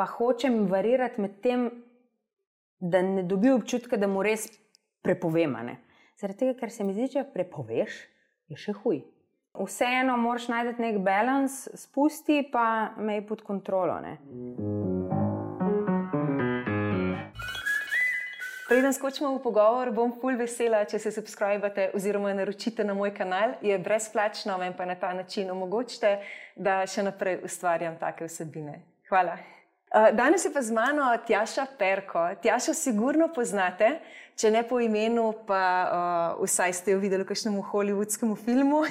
pa hočem varirati med tem, da ne dobi občutka, da mu res prepovem. Zaradi tega, ker se mi zdi, če prepoveš, je še huj. Vseeno moraš najti nek balans, spusti pa me pod kontrolo. Preden skočimo v pogovor, bom ful vesela, če se subskrbate oziroma naročite na moj kanal. Je brezplačno, meni pa na ta način omogočite, da še naprej ustvarjam take vsebine. Hvala. Danes je pa z mano Tjaša Perko. Tjašo sigurno poznate, če ne po imenu, pa vsaj ste jo videli v kakšnem hollywoodskem filmu,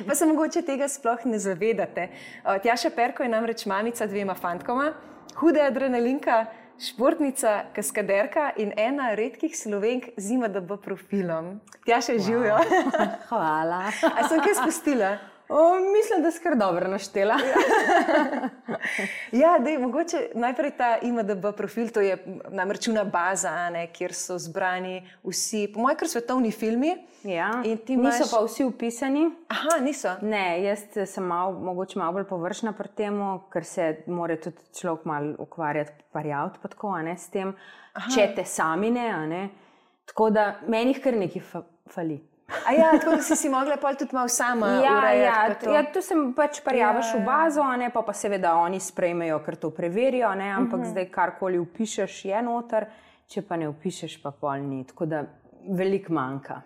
pa se mogoče tega sploh ne zavedate. Tjaša Perko je namreč mamica 2 fantkoma, huda adrenalinka, športnica, kaskaderka in ena redkih Slovenk z IMDb profilom. Tjaša, živjo. Hvala. A sem kaj spustila? Mislim, da si kar dobro naštela. Ja, mogoče najprej ta IMDb profil, to je namreč una baza, kjer so zbrani vsi, po mojem, kar svetovni filmi. Ja, niso pa vsi upisani. Aha, niso? Ne, jaz sem mogoče malo bolj površna pri temu, ker se mora tudi človek malo ukvarjati, parjaviti pa tako, s tem, če te sami ne. Tako da meni jih kar nekaj fali. Tako da si mogla pol tudi malo sama urejati. Ja, tu sem pač parjavaš v bazo, pa seveda oni sprejmejo, ker to preverijo, ampak zdaj karkoli upišeš je noter, če pa ne upišeš pa pol ni, tako da veliko manjka.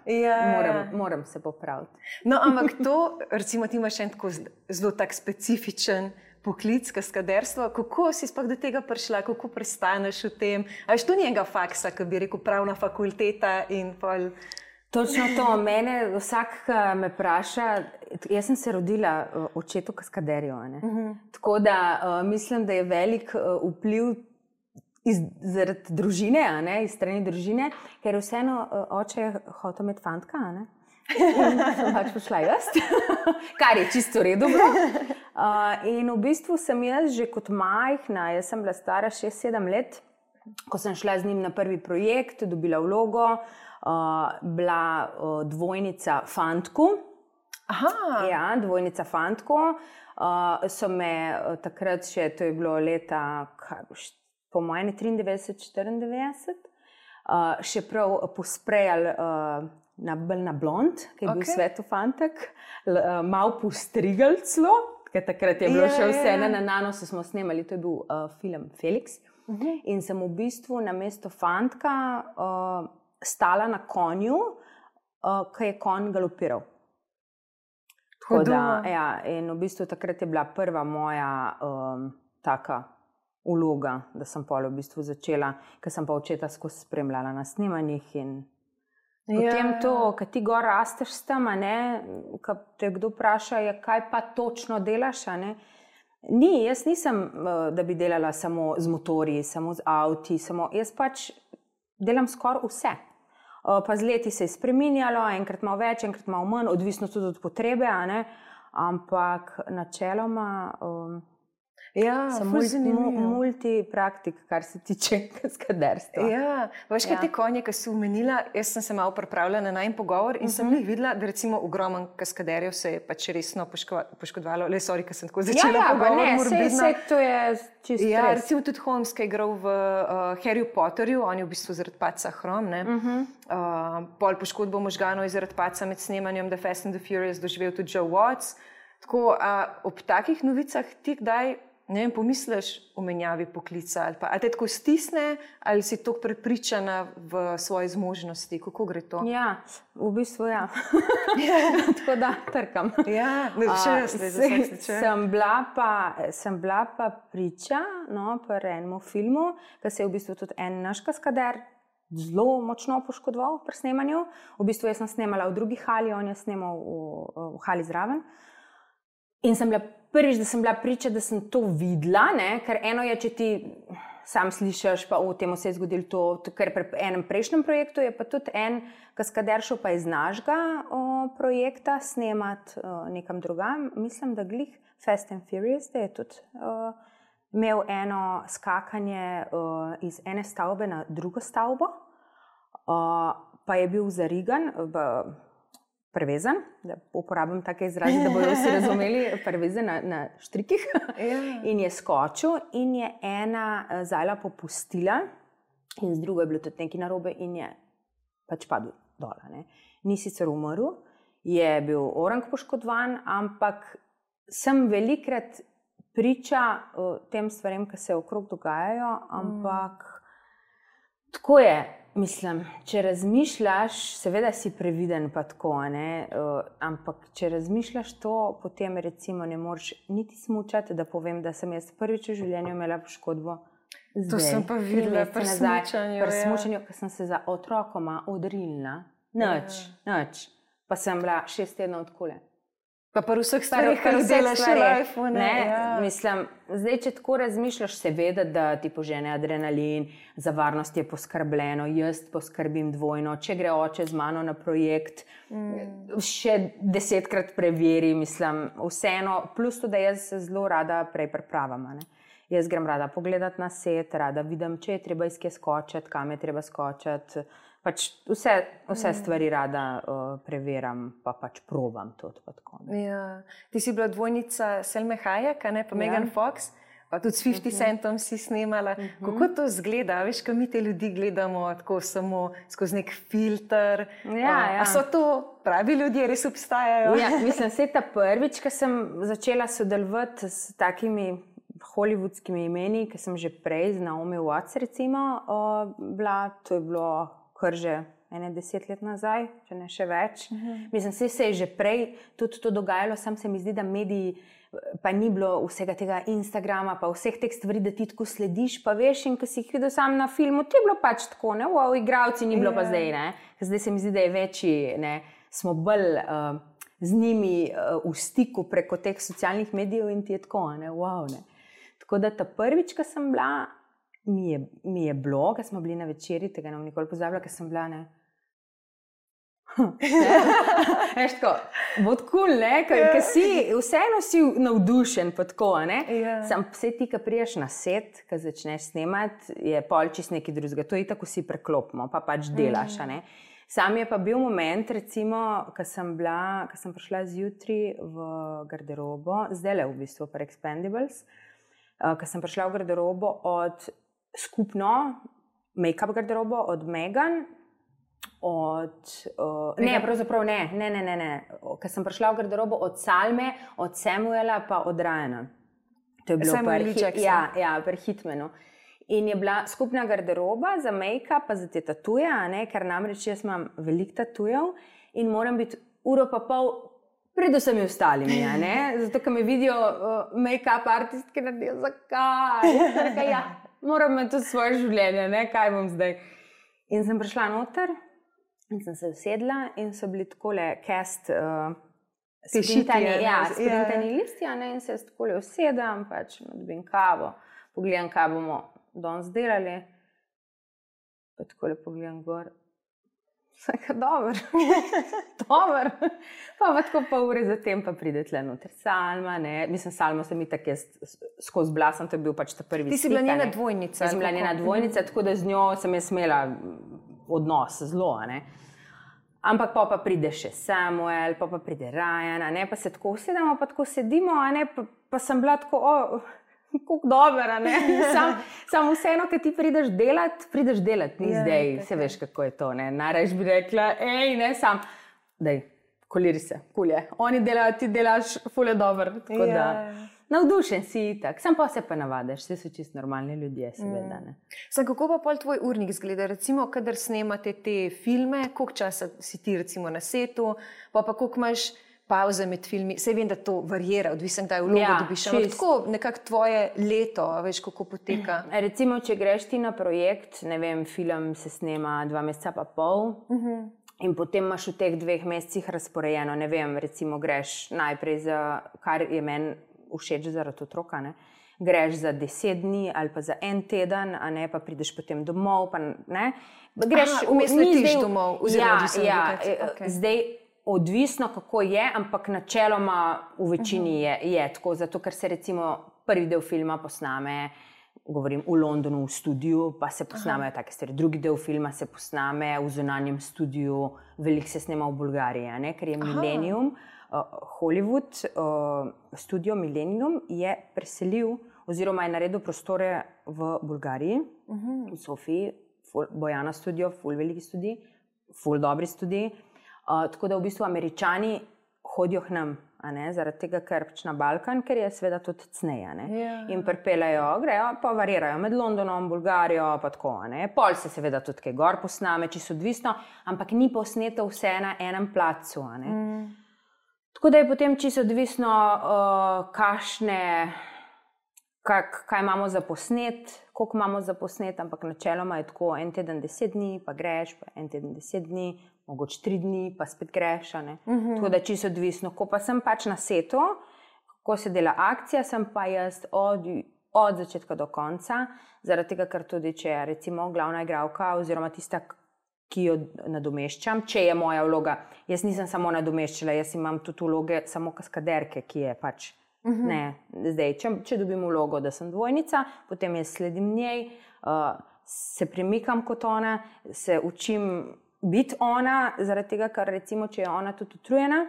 Moram se popraviti. No, ampak to, recimo ti imaš en tako zelo tak specifičen poklic, kaskaderstvo, kako si sploh do tega prišla, kako prestaneš v tem? A veš, to ni enega faksa, ki bi rekel pravna fakulteta in pol... Točno to, mene vsak me vpraša, jaz sem se rodila očetu kaskaderju, tako da mislim, da je velik vpliv zaradi družine, iz strani družine, ker vseeno oče je hotel imeti fantka, in sem pač prišla jaz, kar je čisto v redu bilo. In v bistvu sem jaz že kot majhna, jaz sem bila stara 6-7 let, ko sem šla z njim na prvi projekt, dobila vlogo, bila dvojnica fantku. Aha. Ja, dvojnica fantku. So me takrat še, to je bilo leta, po mojem 93-94, še prav posprejali na blond, ki je bil svetu fantek, malo postrigali celo, ker takrat je bilo še vse na Nanosu smo snemali, to je bil film Felix. In sem v bistvu namesto fantka stala na konju, ki je konj galopiral. In v bistvu takrat je bila prva moja taka vloga, da sem pol v bistvu začela, ker sem pa očeta skozi spremljala na snemanjih in potem to, ko ti gor rasteš s tem, ko te kdo vpraša, kaj pa točno delaš, Ni, jaz nisem, da bi delala samo z motorji, samo z avti, jaz pač delam skoraj vse. Pa z leti se je spreminjalo, enkrat malo več, enkrat malo manj, odvisno tudi od potrebe, ampak načeloma sem multipraktik, kar se tiče kaskaderstva. Ja, veš, kaj te konje, ki si omenila, jaz sem se malo pripravljala na najin pogovor in sem jih videla, da recimo ogromen kaskaderjev se je pač resno poškodovalo. Sorry, ker sem tako začela pogovor morbidno. To je čisto res. Ja, recimo tudi Holmes, ki je igral v Harryju Potterju, on je v bistvu zaradi padca hrom, pol poškodbo možganov je zaradi padca med snemanjem The Fast and the Furious doživel tudi Joe Watts. Tako, ob takih novicah ti kdaj pomisliš o menjavi poklica ali te tako stisne ali si tako prepričana v svoje zmožnosti, kako gre to? Ja, v bistvu ja. Tako da trkam. Ja, sem bila pa priča pri enem filmu, ki se je v bistvu tudi en naš kaskader zelo močno poškodoval pri snemanju. V bistvu jaz sem snemala v drugi hali, on je snemal v hali zraven. In sem bila prvič, da sem bila priča, da sem to videla, ker eno je, če ti sam slišiš, pa v temu se je zgodilo to, ker pri enem prejšnjem projektu je pa tudi en kaskader šel pa iz našega projekta snemati nekam drugam. Mislim, da glih Fast and Furious, da je tudi imel eno skakanje iz ene stavbe na drugo stavbo, pa je bil zarigan prevezan, da uporabim take izraze, da bodo vsi razumeli, prevezan na štrikih. In je skočil in je ena zajla popustila in z drugo je bilo tudi nekaj narobe in je pač padel dol. Ni sicer umrl, je bil orang poškodovan, ampak sem velikrat priča tem stvarem, ki se okrog dogajajo, ampak tako je. Mislim, če razmišljaš, seveda si previden pa tako, ampak če razmišljaš to, potem recimo ne moreš niti smučati, da povem, da sem jaz prvič v življenju imela poškodbo. To sem pa videla pri smučanju. Pri smučanju, ko sem se za otrokoma odrilila. Nič. Pa sem bila 6 tednov od kule. Pa pri vseh stvarih, kar delaš v life. Mislim, zdaj, če tako razmišljaš, seveda, da ti požene adrenalin, za varnost je poskrbljeno, jaz poskrbim dvojno, če gre oče z mano na projekt, še 10-krat preveri, mislim, vseeno, plus to, da jaz se zelo rada prej pripravam. Jaz grem rada pogledati na set, rada vidim, če je treba iz kje skočiti, kam je treba skočiti. Pač vse stvari rada preveram, pa pač probam to. Ti si bila dvojnica Selme Hayek, pa Megan Fox, pa tudi s 50 Centom si snemala. Kako to zgleda? Veš, ko mi te ljudi gledamo tako samo skozi nek filter. A so to pravi ljudje, res obstajajo? Mislim, se ta prvič, ko sem začela sodelovati s takimi hollywoodskimi imeni, ki sem že prej z Naomi Watts recimo bila, to je bilo kar že 10 let nazaj, če ne še več. Mislim, se je že prej tudi to dogajalo, sam se mi zdi, da mediji, pa ni bilo vsega tega Instagrama, pa vseh teh stvari, da ti tako slediš, pa veš, in ko si jih videl sam na filmu, ti je bilo pač tako, igravci ni bilo pa zdaj, Zdaj se mi zdi, da je večji, smo bolj z njimi v stiku preko teh socialnih medijev in ti je tako, Tako da ta prvič, ko sem bila, mi je bilo, ko smo bili na večeri, tega nam nikoli pozabila, ko sem bila, Veš tako, bod cool, ker si, vseeno si navdušen pa tako, Sam vse ti, ko priješ na set, ko začneš snemati, je pol čist nekaj drugega, to je tako si preklopimo, pa pač delaš, Sam je pa bil moment, recimo, ko sem prišla zjutraj v garderobo, zdajle v bistvu pri Expendables, ko sem prišla v garderobo od skupno make-up garderobo od Megan, pravzaprav ne. Ko sem prišla v garderobo od Salme, od Samuela pa od Ryana. To je bilo pri Hitmanu. In je bila skupna garderoba za make-up pa za te tatuje, ker namreč jaz imam veliko tatujev in moram biti uro pa pol pred vsemi ostalimi, Zato, ker me vidijo make-up artistke naredijo, zakaj? Moram imeti tudi svoje življenje, kaj bom zdaj. In sem prišla noter in sem se usedla in so bili takole cast sprintani listi, in se takole usedam, pač dobim kavo, pogledam, kaj bomo danes delali, pa takole pogledam gor. Dober. Pa tako pa ure zatem pa pride tle noter Salma, Mislim, Salmo sem itak jaz skozi blasem, to je bil pač ta prvi stik. Ti si bila njena dvojnica. Jaz sem bila njena dvojnica, tako da z njo sem jaz imela odnos zelo, Ampak pa pride še Samuel, pa pride Ryan, pa se tako usedemo, pa tako sedimo, pa sem bila tako, kako dobro, Sam vseeno, kad ti prideš delat, ni zdaj, se veš, kako je to, Najraje bi rekla, sam, daj, koliri se, kulje. Oni delajo, ti delaš, ful je dober, tako da, navdušen si itak, sam pa se pa navadaš, vsi so čisto normalni ljudje, seveda, Sam, kako pa pol tvoj urnik zgleda, recimo, kadar snemate te filme, koliko časa si ti recimo na setu, pa koliko imaš pauze med filmi, saj vem, da to varjera, odvisno, kdaj vlogo dobiš, ampak tako nekako tvoje leto, veš, kako poteka. Recimo, če greš ti na projekt, ne vem, film se snema 2 meseca pa pol in potem imaš v teh 2 mesecih razporejeno, ne vem, recimo greš najprej za, kar je meni všeč zaradi otroka, greš za 10 dni ali pa za 1 teden, pa prideš potem domov, pa greš, vmes letiš domov, zdaj odvisno, kako je, ampak načeloma v večini je tako, zato ker se recimo prvi del filma posname govorim v Londonu v studiu, pa se posnamejo take stvari. Drugi del filma se posname v zunanjem studiu, veliko se snema v Bolgariji, ne? Ker je Millennium, Hollywood, studio Millennium je preselil oziroma je naredil prostore v Bolgariji, v Sofiji, Bojana studio, ful veliki studij, ful dobri studij. Tako da v bistvu Američani hodijo k nam, zaradi tega, ker pač na Balkan, ker je seveda tudi cneje. In pripeljajo, grejo, pa varirajo med Londonom, Bolgarijo, pa tako. Pol se seveda tudi kaj gor posname, čisto odvisno, ampak ni posneto vse na enem placu. Tako da je potem čisto odvisno, kaj imamo za posnet, koliko imamo za posnet, ampak načeloma je tako en teden 10 dni, pa greš, pa en teden 10 dni, mogoče 3 dni, pa spet greš. Tako da čisto odvisno. Ko pa sem pač na setu, ko se dela akcija, sem pa jaz od začetka do konca, zaradi tega, ker tudi če je recimo glavna igralka oziroma tista, ki jo nadomeščam, če je moja vloga, jaz nisem samo nadomeščala, jaz imam tudi vloge samo kaskaderke, ki je pač ne, zdaj, če dobim vlogo, da sem dvojnica, potem jaz sledim njej, se premikam kot ona, se učim biti ona, zaradi tega, ker recimo, če je ona tudi utrujena,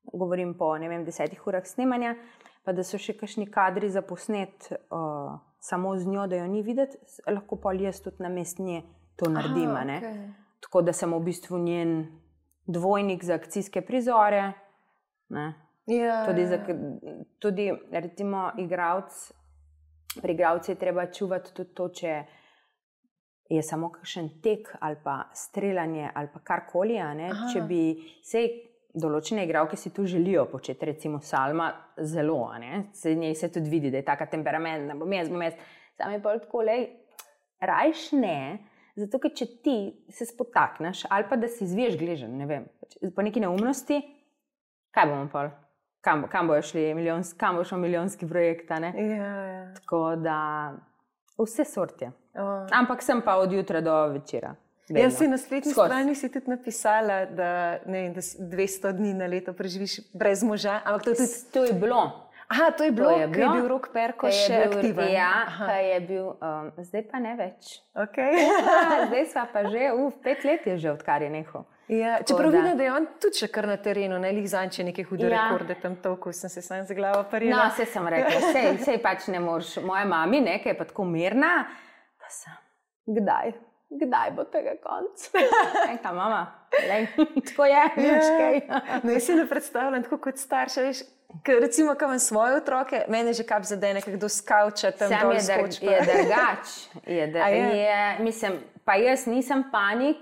govorim po, 10 urah snemanja, pa da so še kakšni kadri za posnet samo z njo, da jo ni videti, lahko pa jaz tudi namesto nje to naredim. Tako da sem v bistvu njen dvojnik za akcijske prizore, tudi recimo pri igralcu je treba čuvati tudi to, če je samo kakšen tek ali pa streljanje ali pa karkoli, če bi določene igralke si tu želijo početi, recimo Salma zelo, njej se tudi vidi, da je taka temperamentna, bom jaz, sam je pa tako, rajš ne, zato ker če ti se spotakneš ali pa da si izviješ gležen, ne vem, po neki neumnosti, kaj bomo pol? Kam bojo šli milijonski projekt, Tako da vse sortje. Ampak sem pa od jutra do večera. Jaz si na spletni strani si tudi napisala, da 200 dni na leto preživiš brez moža, ampak to je bilo. Aha, to je bilo, ko je bil Rok Perko še aktiven. Ja, je bil, zdaj pa ne več. Zdaj sva pa že, 5 let je že, odkar je nehal. Čeprav vidim, da je on tudi še kar na terenu, lih zanče neke hude rekorde tam toliko, sem se sam za glavo parila. No, sej sem rekla, sej pač ne moreš, moja mami, ki je pa tako mirna, pa sem, kdaj bo tega konc? Enka, mama, tako je, nič kaj. No, jaz si ne predstavljam tako kot starša, veš, ker recimo, ko imam svoje otroke, mene že kap zadene, kdo skavča tam dol skoč. Je drugač, mislim, pa jaz nisem panik,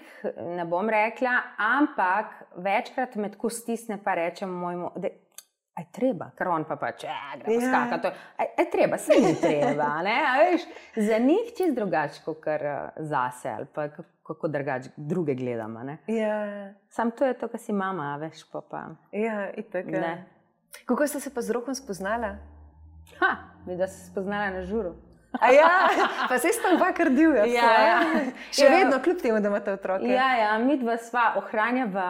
ne bom rekla, ampak večkrat me tako stisne pa rečem mojemu, da je treba, ker on pa gremo skakati, je treba, se ni treba, veš, za njih čist drugače, kot zase, ali pa kako drugače druge gledamo, Sam to je to, kar si mama, veš, pa. Ja, itak, Kako ste se pa z Rokom spoznala? Mi da se spoznala na žuru. Pa se sta oba kar divja. Še vedno, kljub temu, da imate otroke. Mi dva sva ohranjava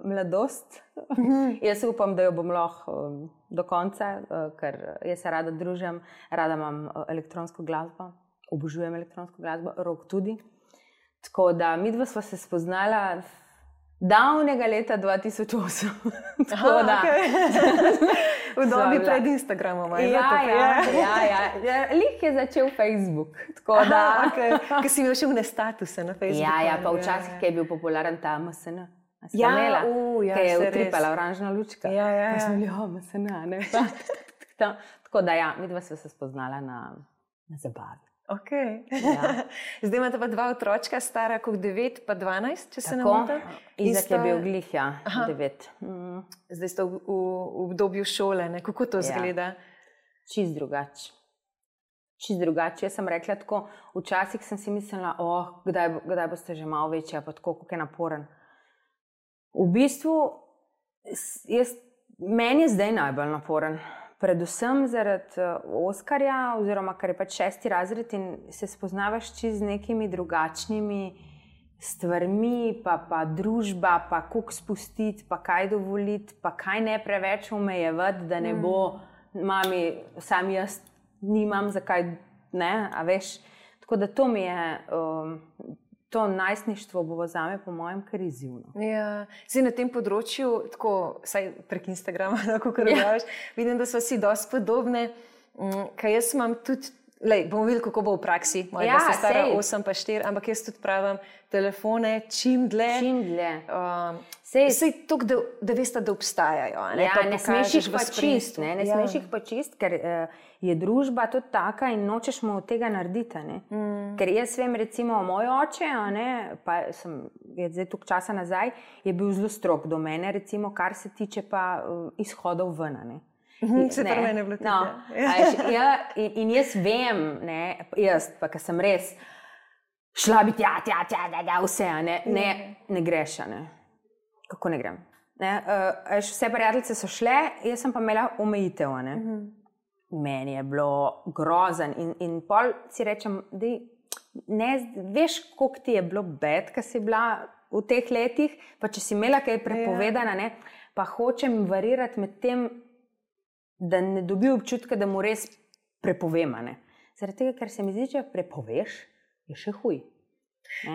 mladost. Jaz upam, da jo bom lahko do konca, ker jaz se rada družim, rada imam elektronsko glasbo, obožujem elektronsko glasbo, Rok tudi. Tako da mi dva sva se spoznala davnega leta 2008. V dobi pred Instagramom. Lih je začel Facebook. Ker si imel še vne statuse na Facebooku. Pa včasih, ki je bil popularen ta MSN. Ki je utripala oranžna lučka. Pa smo bili, MSN, Tako da mi dva sva se spoznala na zabavi. Zdaj imate pa 2 otročka, stara kot 9 pa 12, če se ne motim. Izak je bil glih, 9. Zdaj ste v obdobju šole, kako to zgleda? Čist drugače. Jaz sem rekla tako, včasih sem si mislila, kdaj boste že malo večja, pa tako, kako je naporen. V bistvu, meni je zdaj najbolj naporen. Predvsem zaradi Oskarja, oziroma ker je pač 6. razred in se spoznavaš z nekimi drugačnimi stvarmi, pa družba, pa koliko spustiti, pa kaj dovoliti, pa kaj ne preveč omejevati, da ne bo mami, sam jaz nimam zakaj ne, a veš. Tako da to mi je, to najstništvo bo zame po mojem kar izzivno. Ja, zdaj na tem področju, tako, saj prek Instagrama, kako redaš, vidim, da so vsi dosti podobne, kaj jaz imam tudi, bomo videli, kako bo v praksi, moja se stara 8 pa 4, ampak jaz tudi pravim telefone čim dlje. Sej toliko, da veste, da obstajajo. Ne smeš jih pa čist, ne smeš jih pa čist, ker je družba tudi taka in nočeš mu tega narediti. Ker jaz vem, recimo, moj oče, pa je zdaj toliko časa nazaj, je bil zelo strog do mene, recimo, kar se tiče pa izhodov ven. Se pravi, mene je bilo tudi. In jaz vem, jaz pa, ker sem res šla biti vse, ne greš, kako ne grem. Vse prijateljice so šle, jaz sem pa imela omejitev. Meni je bilo grozen in pol si rečem, veš, koliko ti je bilo bed, ko si bila v teh letih, pa če si imela kaj prepovedana, pa hočem varirati med tem, da ne dobi občutka, da mu res prepovem. Zaradi tega, ker se mi zdi, če prepoveš, je še huj.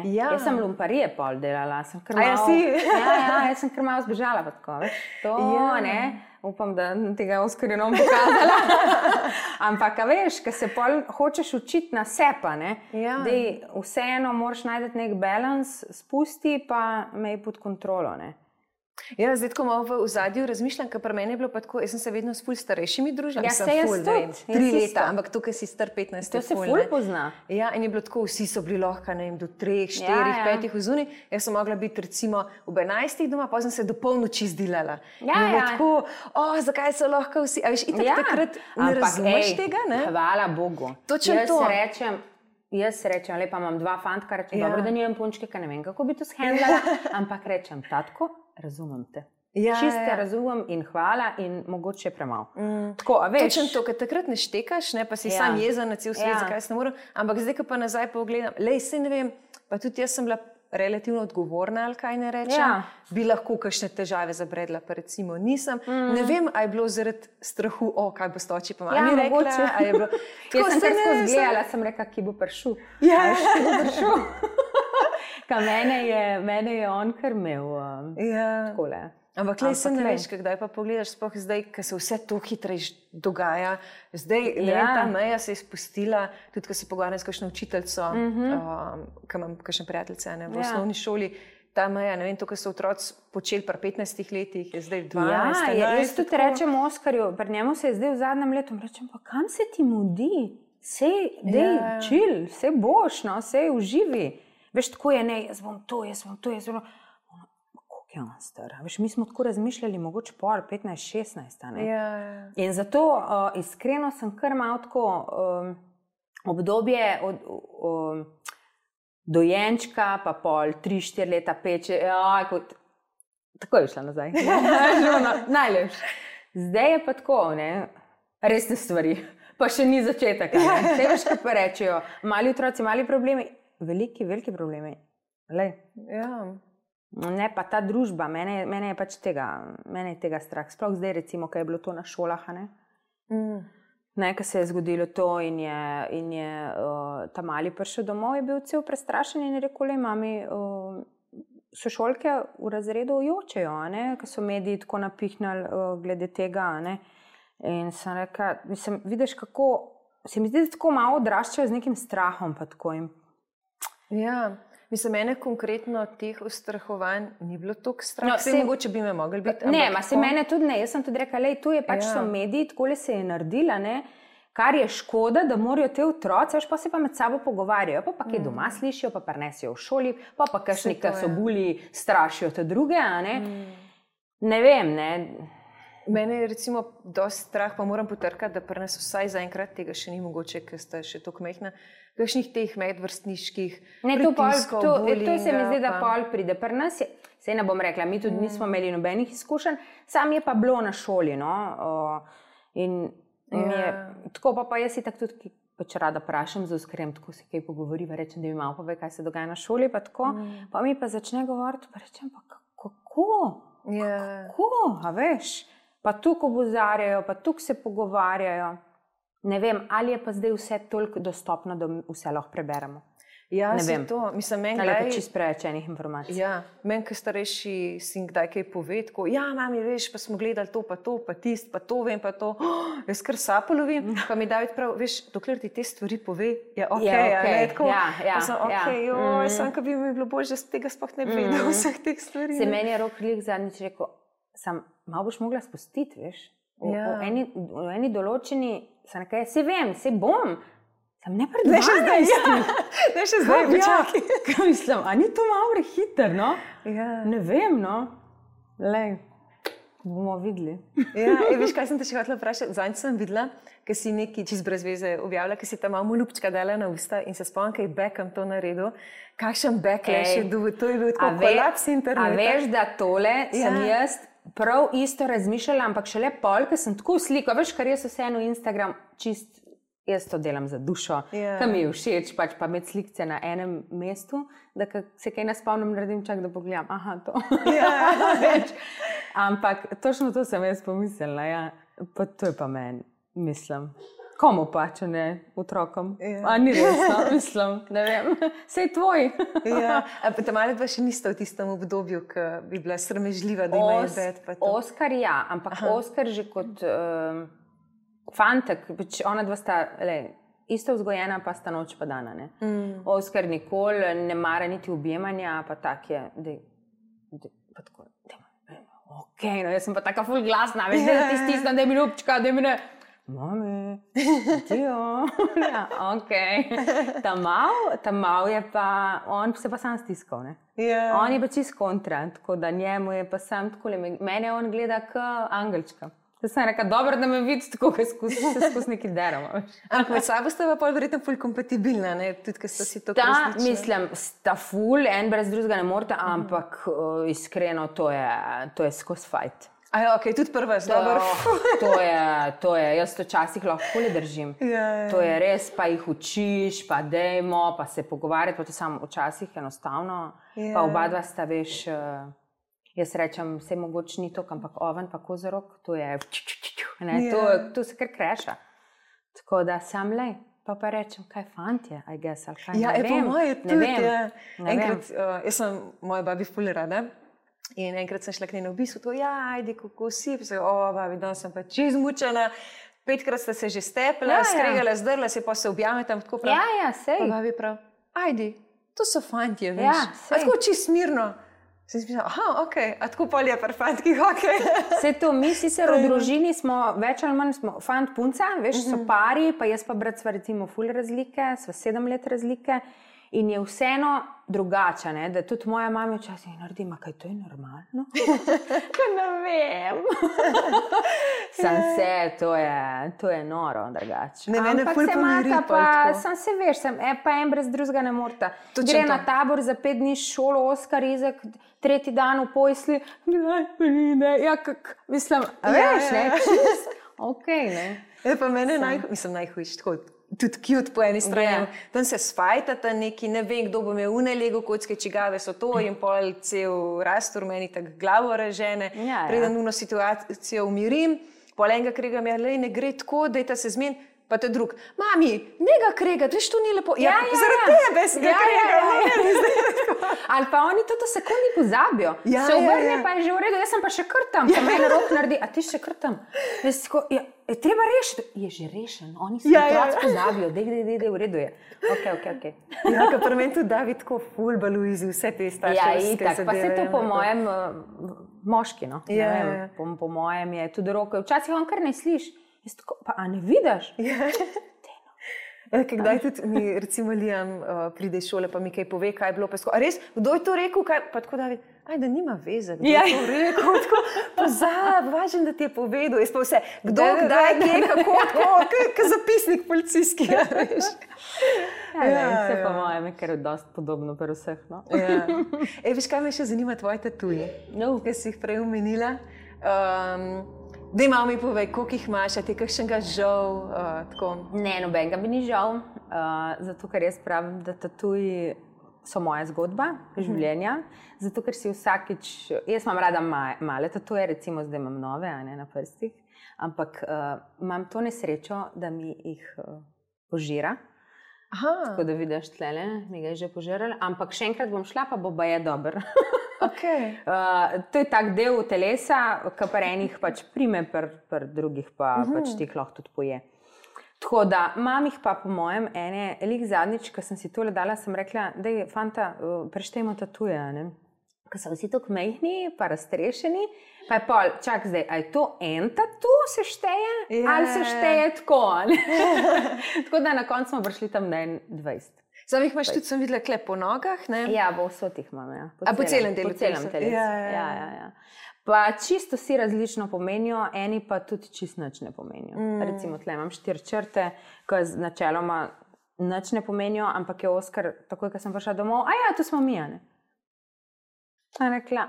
Jaz sem lumparije pol delala, sem kar malo, jaz sem kar malo zbežala pa tako, veš, to, upam, da tega Oskarja ne bom pokazala, ampak, veš, ko se pol hočeš učiti na sepa, vseeno moraš najti nek balans, spusti pa mej pod kontrolo, Ja, zdaj tako malo v ozadju razmišljam, ker pri meni je bilo pa tako, jaz sem se vedno s ful starejšimi družila. Ja, se jaz tudi. 3 leta, ampak tukaj si star 15. To se ful pozna. Ja, in je bilo tako, vsi so bili lahko, do 3, 4, 5 vzuni. Jaz sem mogla biti recimo ob 11 doma, pa sem se do polnoči zdilala. Ja. Tako, zakaj so lahko vsi, a veš, itak takrat ne razumeš tega, ne? Hvala Bogu. Točno to. Jaz rečem, lepa imam 2 fantka, rečem, dobro, da nimam punčke, ker ne vem, kako bi to shendlala, ampak rečem, tatko, razumem te. Čiste razumem in hvala in mogoče premalo. Tako, a veš? Točno to, ker takrat ne štekaš, pa si sam jezen na cel svet, zakaj se ne morem, ampak zdaj, ko pa nazaj pogledam, saj ne vem, pa tudi jaz sem bila relativno odgovorna, ali kaj ne rečem, bi lahko kakšne težave zabredla, pa recimo nisem. Ne vem, a je bilo zaradi strahu, kaj bo stoči pa mami rekla, a je bilo... Jaz sem kar skozi gledala, sem rekla, ki bo prišel. Ja, ki bo prišel. Ka mene je on kar imel takole. Ampak se ne veš, kdaj pa pogledaš, sploh zdaj, ko se vse to hitreje dogaja. Zdaj, ta meja se je spustila, tudi ko se pogovarjam s kakšno učiteljico, ko imam kakšne prijateljice v osnovni šoli, ta meja, ne vem, to, ko so otroci počeli pri 15 letih, je zdaj 12. Jaz tudi rečem Oskarju, pri njemu se je zdaj v zadnjem letu, rečem, pa kam se ti mudi? Sej, chill, sej boš, sej uživi. Veš, tako je, jaz bom to. Koliko je on star? Veš, mi smo tako razmišljali, mogoče 15-16. In zato iskreno sem kar malo tako obdobje od dojenčka, pa pol 3-4 leta, 5, tako je šla nazaj. Najlepše. Zdaj je pa tako, resne stvari, pa še ni začetek. Te veš, kaj pa rečejo, mali otroci, mali problemi, veliki problemi. Ne, pa ta družba, mene je pač tega strah. Sploh zdaj, recimo, kaj je bilo to na šolah, ko se je zgodilo to in je ta mali prišel domov, je bil cel prestrašen in je rekel, mami, sošolke v razredu jočejo, ko so mediji tako napihnali glede tega. In sem rekla, vidiš, kako se mi zdi, da tako malo odraščajo z nekim strahom. Pa tako jim. Ja, mislim, mene konkretno teh ustrahovanj ni bilo toliko strah. Mogoče bi me mogli biti. Ne, se mene tudi ne. Jaz sem tudi rekla, tu je pač so mediji, takole se je naredila, kar je škoda, da morajo te otroci, pa se pa med sabo pogovarjajo, pa kaj doma slišijo, pa prenesijo v šoli, pa kakšni, ki so buli, strašijo te druge, Ne vem, Mene je recimo dosti strah, pa moram potrkati, da pri nas vsaj zaenkrat tega še ni mogoče, ker sta še toliko majhna, kakšnih teh medvrstniških pritiskov, to se mi zdi, da pol pride. Pri nas je, sej ne bom rekla, mi tudi nismo imeli nobenih izkušenj, sam je pa bilo na šoli, in je, tako pa jaz si tako tudi pač rada prašam z Oskarjem, tako se kaj pogovoriva, rečem, da mi malo pove, kaj se dogaja na šoli, pa tako, pa mi pa začne govoriti, pa rečem, pa kako, a veš? Pa tukaj obozarjajo, pa tukaj se pogovarjajo. Ne vem, ali je pa zdaj vse toliko dostopno, da vse lahko preberemo. Ja, ne vem. To. Mislim, meni je pa čisto preveč enih informacij. Ja, meni, ki starejši sin kdaj kaj pove, tako, ja, mami, veš, pa smo gledali to, pa tist, pa to vem, pa to. Jaz kar sapo lovim, pa mi David prav, veš, dokler ti te stvari pove, je ok. Sam, ko bi mi bilo bolj, da tega sploh ne bi vedel vseh teh stvari. Se meni je Rok Lik zadnjič rekel, malo boš mogla spustiti, veš. V eni določeni, se vem, se bom. Sam ne pred 12. Ne še zdaj, počakaj. Mislim, a ni to malo prehiter, no? Ja. Ne vem, no. Lej, bomo videli. Ja, veš, kaj sem te še hotela vprašati? Zadnjič sem videla, ker si neki čist brez veze objavila, ker si ta malo ljubčka dala na usta in se spomnim, kaj je Beckham to naredil. Kakšen backlash je bil, to je bil tako kolaps interneta. A veš, da tole sem jaz prav isto razmišljala, ampak šele pol, ker sem tako sliko, veš, kar jaz vseeno Instagram čist. Jaz to delam za dušo, kam mi je všeč, pač pa imeti slikce na enem mestu, da se kaj ne spomnim, naredim čak, da pogledam, aha, to. Ampak točno to sem jaz pomislila, ja. Pa to je pa meni, mislim. Komu pa, če ne otrokom? A ni resno, mislim, ne vem. Sej tvoj. Ta mali dva še nista v tistem obdobju, ki bi bila sramežljiva, da imajo bed. Oskar ja, ampak Oskar že kot... fantek, ona dva sta isto vzgojena, pa sta noč pa dana. Oskar nikoli ne mara niti objemanja, pa tak je, pa tako, ok, no jaz sem pa taka ful glasna, veš, da ti stisnem, da je mi ljubčka, da je mi ne, mami, tijo, ja, ok. Ta mal je pa, on se pa sam stiskal, ne. On je pa čist kontra, tako da njemu je pa sam tako, mene on gleda k angelčka. Jaz sem rekla, dobro, da me vidi tako, da se skozi nekaj deramo. Ampak med sabo sta pa verjetno ful kompatibilna, ne? Tudi, ker sta si to resnično. Mislim, sta ful, en brez drugega ne morete, ampak iskreno, to je skozi fajt. Ok, tudi prva je dobro. To je, jaz to včasih lahko ful držim. To je res, pa jih učiš, pa dejmo, pa se pogovarjati, pa to samo včasih enostavno. Pa oba dva sta, veš... Jaz rečem, vse mogoče ni to, ampak oven pa kozorok, to je, to se kar kreša. Tako da sam lej, pa rečem, kaj fantje, I guess, ali kaj, ne vem. Po moje tudi, enkrat, jaz sem moja babi ful rada in enkrat sem šla k njej na obisk, to, ajde, kako si, pa se, babi, danes sem pa čez mučena, 5krat sta se že stepla, skregala, zdrla se, pa se objameta, tako prav. Sej. Pa babi prav, ajde, to so fantje, veš, a tako čist mirno. Sem si mislila, ok, a tako pol je par fantkih, ok. Vse to, mi sicer v družini smo, več ali manj smo fant punca, veš, so pari, pa jaz pa brat sva recimo ful razlike, sva 7 let razlike in je vseeno drugače, ne, da tudi moja mama včasih naredi, kaj to je normalno? Kaj ne vem. Sam se, to je noro drugače. Ampak se mata pa, sam se veš, pa en brez drugega ne morta. Gre na tabor za 5 dni šolo, Oskar Izek, 3. dan v Pojsli, mislim, veš, ne, čist, ok, ne. Je pa mene najhujš, tako, tudi cute po eni strani. Tam se sfajtata neki, ne vem, kdo bo imel unelego kocke, čigave so to in pol cel rastor meni tak glavo ražene. Preden uno situacijo umirim, pol enega kregam, ne gre tako, dajta se zmen, pa te drug. Mami, ne ga kregat, veš, to ni lepo. Zaradi tebe si ga kregat. Ali pa oni to sekundi pozabijo. Se obrne, pa je že v redu, jaz sem pa še krtam, pa meni Rok naredi, a ti še krtam. Je treba rešiti. Je že rešen, oni se otroci pozabijo, dej, v redu je. Ok. Ja, ka pri meni tudi David tako ful baluizi vse te starševske zadeve. Pa se to po mojem moški, no. Po mojem je tudi Rok, včasih on kar ne sliš. Pa a ne vidiš? Kdaj tudi mi, recimo Liam, pride iz šole, pa mi kaj pove, kaj je bilo. A res, kdo je to rekel? Pa tako David, da nima veze, kdo je to rekel. Pozab, važen, da ti je povedal. Jaz pa vse, kdo, kdaj, kje, kako, kot zapisnik policijski. Se pa mojem je kar dosti podobno pri vseh. Veš, kaj me še zanima tvoje tatuji, ki si jih prej omenila. Daj malo mi povej, koliko jih imaš, a ti kakšnega žal? Ne, nobenega mi ni žal, zato ker jaz pravim, da tatuji so moja zgodba življenja, zato ker si vsakič, jaz imam rada male tatuje, recimo zdaj imam nove, a ne na prstih, ampak imam to nesrečo, da mi jih požira. Tako da vidiš tlele, mi ga je že požiral, ampak še enkrat bom šla, pa bo baje dober. Okay. To je tak del telesa, ki pa enih pač prime, pri drugih pa pač tih lahko tudi poje. Tako da, imam jih pa po mojem zadnjič, ko sem si tole dala, sem rekla, daj, fanta, preštejmo tatuje, ne? Ko so vsi tako mehni, pa raztrešeni, pa je pol, čak zdaj, a je to en tatu se šteje, ali se šteje tako, ne? Tako da na koncu smo prišli tam na 20. Sam jih imaš tudi, sem videla, kle po nogah, ne? Ja, bo vsot jih imam, ja. Po celem delu? Po celem telesu, ja. Pa čisto vsi različno pomenijo, eni pa tudi čisto nič ne pomenijo. Recimo, tle imam 4 črte, ki načeloma nič ne pomenijo, ampak je Oskar, takoj, ko sem prišla domov, to smo mi, ne? A rekla,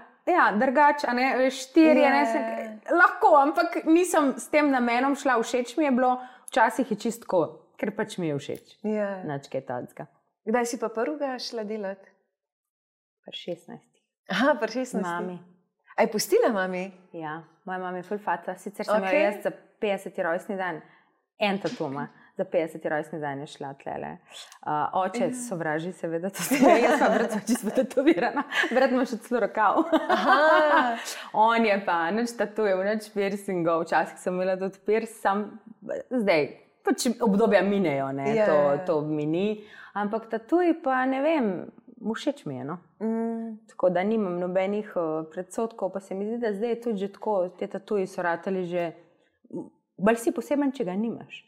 drugač, a ne, 4, lahko, ampak nisem s tem namenom šla, všeč mi je bilo, včasih je čisto tako, ker pač mi je všeč. Nič kaj tacka. Kdaj si pa prvega šla delati? Pri 16. Pri 16. Mami. A je pustila mami? Ja, moja mama je ful faca. Sicer sem jo jaz za 50. rojstni dan, en tatuma, za 50. rojstni dan je šla tlele. Oče sovraži seveda tatuje, jaz pa brat sem čisto tatovirana. Brat ima še celo rokav. On je pa nič tatujev, nič piercingov. Včasih sem imela tudi piercing, sam zdaj, pač obdobja minejo, ne, to mini. Ampak tatuji pa ne vem, všeč mi je, no. Tako da nimam nobenih predsodkov, pa se mi zdi, da zdaj je tudi že tako, te tatuji so ratali že, bolj si poseben, če ga nimaš.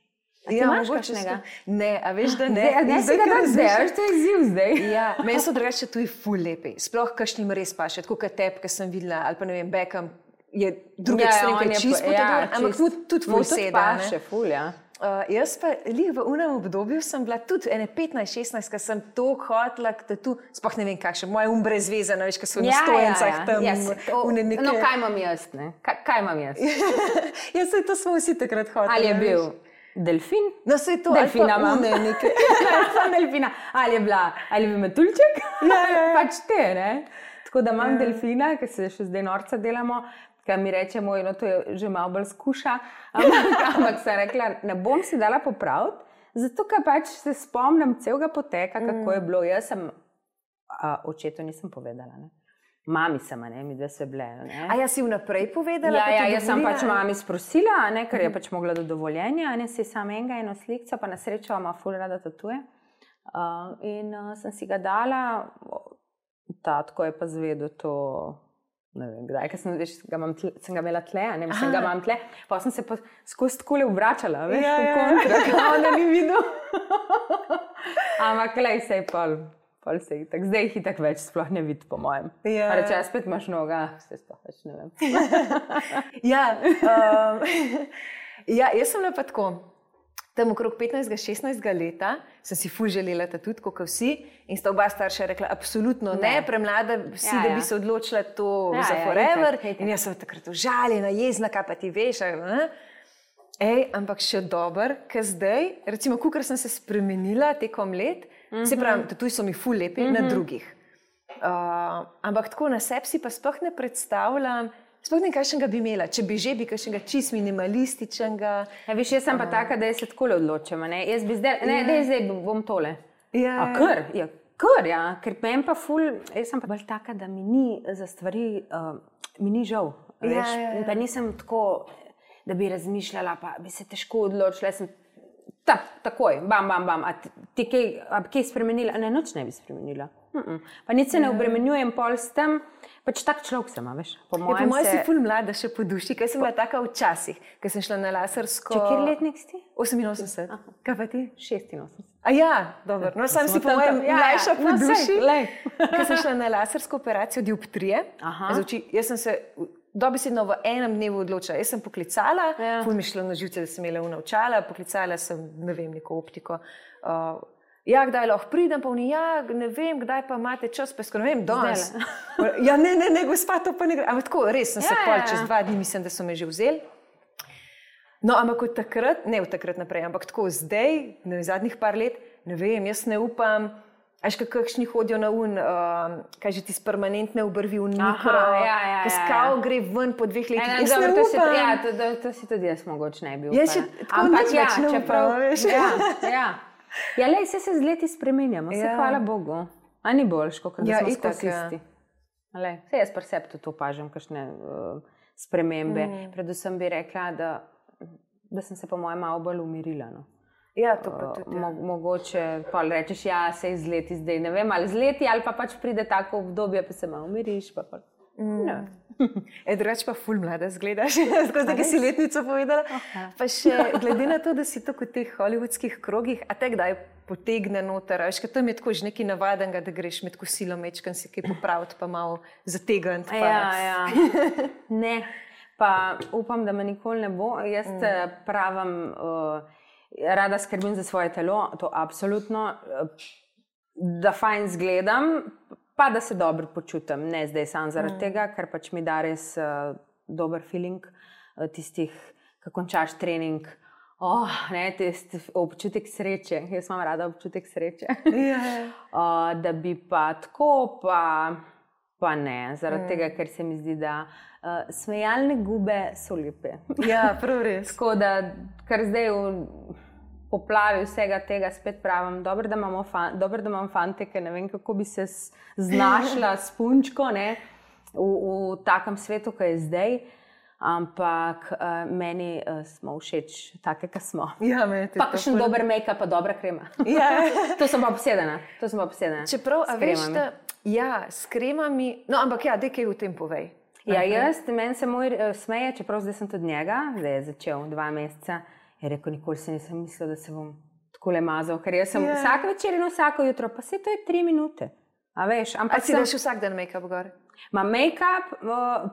A ti imaš kakšnega? Ne, a veš, da ne. Ne si ga tak zdaj, veš, to je izziv zdaj. Ja, meni so drugače tuji ful lepi, sploh kakšnim res paše, tako kot tep, ki sem videla, ali pa ne vem, Beckham je drugi ekstrem, ki je čisto potatovan, ampak tudi ful seda. Paše, ful, ja. Jaz pa lih v unem obdobju sem bila tudi ene 15-16, ko sem toliko hotela, tatu, sploh ne vem kakšen, moje brez veze, veš, ko so na stojencah tam. No, kaj imam jaz, ne? Kaj imam jaz? Jaz se to smo vsi takrat hoteli. Ali je bil delfin? No, se je to, delfina imam. Delfina. Ali je bil metuljček? Pač te, ne? Tako da imam delfina, ki se še zdaj norca delamo, kaj mi reče moj, no to je že malo bolj skuša, ampak sem rekla, ne bom si dala popraviti, zato ker pač se spomnim celega poteka, kako je bilo. Jaz sem, očetu nisem povedala, ne. Mami sem, ne, mi dve se bile, ne. A jaz si vnaprej povedala? Ja, jaz sem pač mami sprosila, ne, ker je pač mogla do dovoljenja, ne, si sam eno slikco, pa na srečo ima ful rada tatuje. In sem si ga dala, tatko je pa zvedel to, ne vem, kdaj, ker sem ga imela tle, ne, mislim, ga imam tle, pa sem se pa skozi takole obračala, veš, v kontra, on da ni videl. Ampak klej se je pol se je itak, zdaj jih itak več sploh ne vidi, po mojem. Reče, spet imaš noga, se sploh več ne vem. Jaz sem bila pa tako, tam okrog 15-16 leta sem si ful želela tudi, kot vsi, in sta oba starša rekla, absolutno ne, premlada si, da bi se odločila to za forever. In jaz sem takrat užaljena, jezna, kaj pa ti veš. Ampak še dober, ker zdaj, recimo, kukor sem se spremenila tekom let, se pravi, tatuji so mi ful lepi na drugih. Ampak tako na sebi si pa sploh ne predstavljam, sploh ne kakšnega bi imela, če bi že bi kakšnega čist minimalističnega. Ja, veš, jaz sem pa taka, da jaz se takole odločim, ne, jaz bi zdaj bom tole. Ker meni pa ful, jaz sem pa bolj taka, da mi ni za stvari, mi ni žal, veš, pa nisem tako, da bi razmišljala, pa bi se težko odločila, jaz sem takoj, bam, a ti kaj spremenila? Ne, nič ne bi spremenila. Pa nič se ne obremenjujem pol s tem, pač tak človek sem, veš. Po mojem si ful mlada še po duši, ker sem bila taka včasih, ker sem šla na lasersko... Če kjer letnik si? 88. Kaj pa ti? 86. Dobro. No, sam si po mojem mlajša po duši, ker sem šla na lasersko operacijo dioptrije. Jaz sem se dobesedno v enem dnevu odločila. Jaz sem poklicala, ful mi šlo na živce, da sem imela očala, poklicala sem, ne vem, neko optiko. Kdaj lahko pridem, pa ne vem, kdaj pa imate čas, pa ne vem, danes. Ne, gospa, to pa ne gre. Ampak tako, res sem se pol čez 2 dni, mislim, da so me že vzeli. No, ampak od takrat, ne od takrat naprej, ampak tako zdaj, zadnjih par let, ne vem, jaz ne upam, Až kakšni hodijo na kaj že ti permanentne obrvi v mikro, poskal gre ven po 2 letih. To si tudi jaz mogoče ne bi upala. Jaz še tako več ne upala, veš. Ja, lej, se z leti spremenjamo, hvala Bogu. A ni boljš, kot da smo skozi isti. Jaz pri sebi tudi opažam kakšne spremembe. Predvsem bi rekla, da sem se po mojem malo bolj umirila. Ja, to pa tudi. Mogoče pa rečeš, se z leti zdaj, ne vem, ali z leti, ali pa pač pride tako obdobje, pa se malo umiriš. Drugače pa ful mlada zgledaš, skozi ki si letnico povedala. Pa še glede na to, da si tako v teh hollywoodskih krogih, a te kdaj potegne noter, veš, ker tam je tako že nekaj navadenega, da greš med kosilo mečkan si kaj popraviti, pa malo zategniti. Ja. Ne, pa upam, da me nikoli ne bo. Jaz pravim, rada skrbim za svoje telo, to absolutno, da fajn zgledam, pa da se dobro počutim. Ne zdaj sam zaradi tega, ker pač mi da res dober feeling tistih, ko končaš trening. Občutek sreče. Jaz imam rada občutek sreče. Da bi pa tako, pa ne. Zaradi tega, ker se mi zdi, da smejalne gube so lepe. Ja, prav res. Tako da, kar zdaj v poplavi vsega tega spet pravim, dobro, da imam fante, ker ne vem, kako bi se znašla s punčko v takem svetu, ki je zdaj. Ampak meni smo všeč take, ki smo. Ja, pa kakšen dober make-up, pa dobra krema. To sem pa obsedena. Čeprav, a veš, s kremami, no, ampak daj kaj v tem povej. Meni se moj smeje, čeprav zdaj sem tudi njega, zdaj je začel 2 meseca, je rekel, nikoli se nisem mislila, da se bom takole mazal, ker jaz sem vsak večer in vsako jutro, pa to je 3 minute. A veš, ampak si daš vsak dan make-up gor? Ma make-up,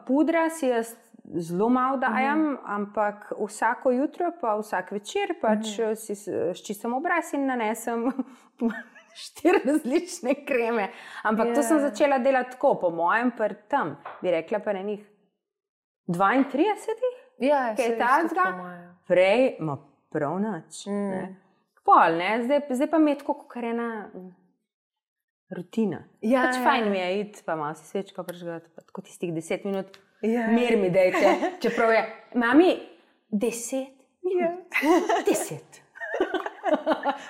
pudra si jaz zelo malo dajem, ampak vsako jutro pa vsak večer pač si sčistim obraz in nanesem 4 različne kreme. Ampak to sem začela delati tako, po mojem tam, bi rekla pa na njih 32, kaj je tazga, prej ma prav nič. Pol, zdaj pa mi je tako, kar ena rutina. Pač fajn mi je iti, pa malo si svečko prižgati, pa tako tistih 10 minut. Mir mi dejte, čeprav je, mami, 10 minut, 10.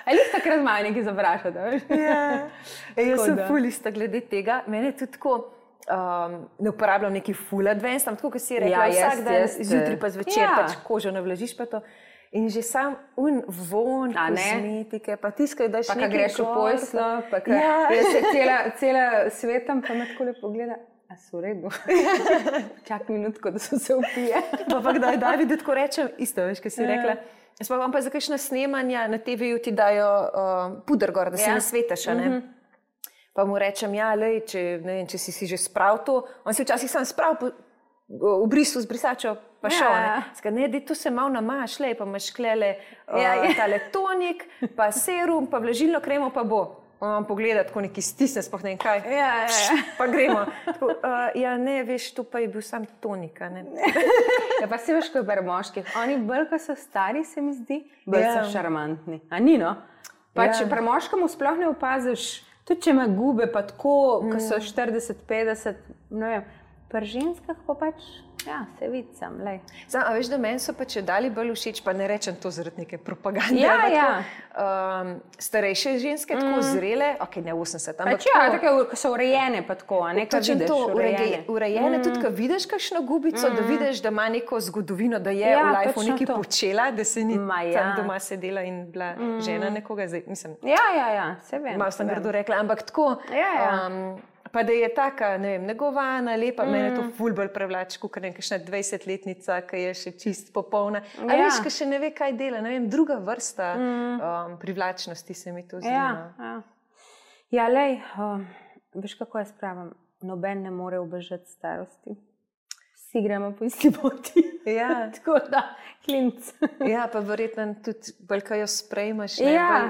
Ali jih takrat malo nekaj zaprašate, veš? Jaz sem fulista glede tega, mene tudi tako, ne uporabljam neki full advance, tam tako, ko si rekla, vsak dan, zjutraj pa zvečer, pač kožo navlažiš pa to. In že sam von kozmetike, pa tiskaj, daš nekaj. Pa greš v pojslo, pa jaz se cela svetam, pa me tako lepo gleda. A so v redu. Čak minutko, da so se upije. Pa kdaj David tako rečem, isto veš, kaj si rekla. Spomnim pa za kakšna snemanja na TV-ju ti dajo puder gor, da si nasvetaš, Pa mu rečem, lej, če si že spravil to, on si včasih sam spravil v brisu z brisačo, pa šel. To se malo namaš, lej, pa imaš klele tale tonik, pa serum, pa vlažilno kremo, pa bo. On pogleda, tako neki stisne, spoh ne vem kaj. Pa gremo. Tako, ne, veš, to pa je bil sam tonika, ne. Pa si veš, ko je pri moških. Oni bolj, ko so stari, se mi zdi, bolj so šarmantni. A ni, no? Pač pri moškemu sploh ne opaziš, tudi če ima gube, pa tako, ko so 40, 50, ne vem. Pri ženskah pa pač, se vicam, lej. A veš, da meni so pa če dali bolj všeč, pa ne rečem to zaradi neke propagande. Starejše ženske, tako zrele, ne 80, ampak tako, ko so urejene pa tako, nekaj vidiš urejene, tudi ko vidiš kakšno gubico, da vidiš, da ima neko zgodovino, da je v lifeu nekaj počela, da se ni tam doma sedela in bila žena nekoga, zdaj mislim. Se vem. Malo sem grdo rekla, ampak tako, pa da je taka, ne vem, negovana, lepa, mene to ful bolj prevlači, kot nekakšna 20-letnica, ki je še čist popolna. A veš, ki še ne ve, kaj dela, ne vem, druga vrsta privlačnosti se mi to zdi. Lej, veš, kako jaz pravim, noben ne more ubežati starosti. Vsi gremo po isti poti. Tako da, klinc. Pa verjetno tudi bolj, ko jo sprejmaš,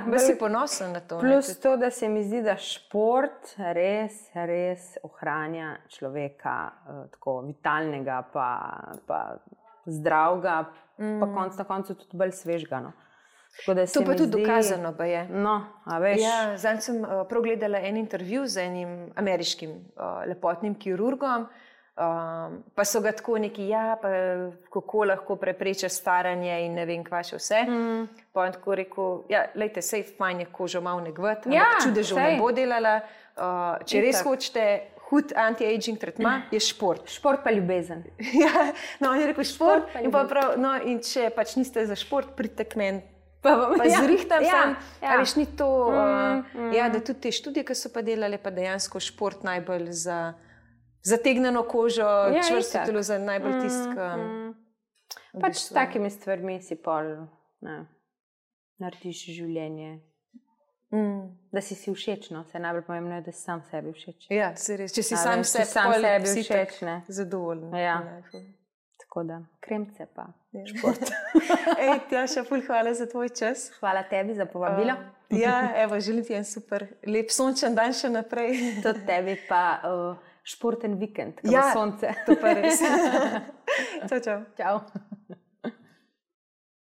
bolj si ponosen na to. Plus to, da se mi zdi, da šport res ohranja človeka tako vitalnega, pa zdravega, pa konc na koncu tudi bolj svežga. To pa tudi dokazano je. No, a veš. Ja, zdaj sem prav gledala en intervju z enim ameriškim lepotnim kirurgom, pa so ga tako neki, pa kako lahko preprečiš staranje in ne vem, kva še vse. Pa on tako rekel, lejte, sej fajn je kožo malo negvati, ampak čudežev ne bo delala. Če res hočete hud anti-aging tretma, je šport. Šport pa ljubezen. No, on je rekel šport in pa prav, no, in če pač niste za šport, pridite k meni. Pa zrihtam sam, a veš, ni to, da tudi te študije, ki so pa delali, pa dejansko šport najbolj za zategneno kožo, čvrsto telo za najbolj tistka. Pač s takimi stvarmi si pol, narediš življenje. Da si všečno, se najbolj pomembno je, da si sam sebi všeč. Ja, se res, če si sam sebi všeč, ne. Zadovoljno. Ja. Tako da, kremce pa šport. Tjaša, ful hvala za tvoj čas. Hvala tebi za povabilo. Evo, želim ti en super lep sončen dan še naprej. Tudi tebi pa športen vikend, ko bo sonce. To pa res. Čau. Čau.